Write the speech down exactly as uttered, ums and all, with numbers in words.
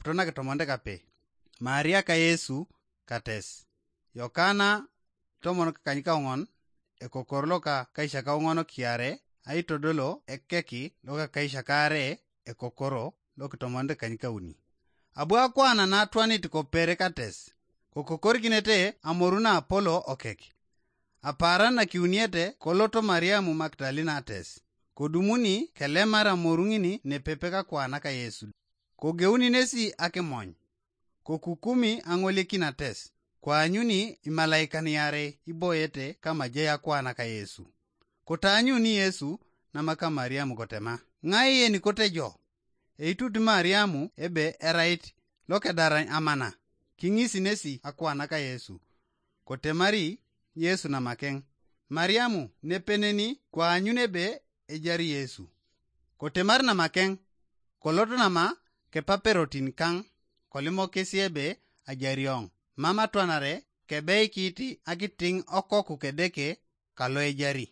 to nakitomonte kape. Maria ka Yesu kates. Yokana tomon kakanykaoŋon, ekokor loka kaisakaoŋon kiare, aitodolo ekeki loka kaisakaare, ekokoro lokitomonte kanykauni. Abu akwana natwanit kopere kates, kokokorikinete amoru na apolo okek. Apaaran nakiuniete koloto Mariamu Magdalina ates, kodumuni kelemar amoru ŋini nepepe kakwana ka Yesu. Kogeuni nesi akimony, kokukumi aŋolekin ates, koanyuni imalaikan iarei iboyete kamajai akwana ka Yesu. Kotaanyuni Yesu namaka Mariamu kotema, ŋai yenikote jo? Eitut Mariamu ebe erait lokedaran amana, kiŋisi nesi akwana ka Yesu. Kotemari Yesu namakeŋ, Mariamu nepeneni koanyun ebe ejari Yesu. Kotemar namakeŋ, kolot nama kepaperotin kaŋ, kolimokis ebe ajari oŋ, mam atwanare kebeikit akitiŋ okoku kedeke kalo ejari.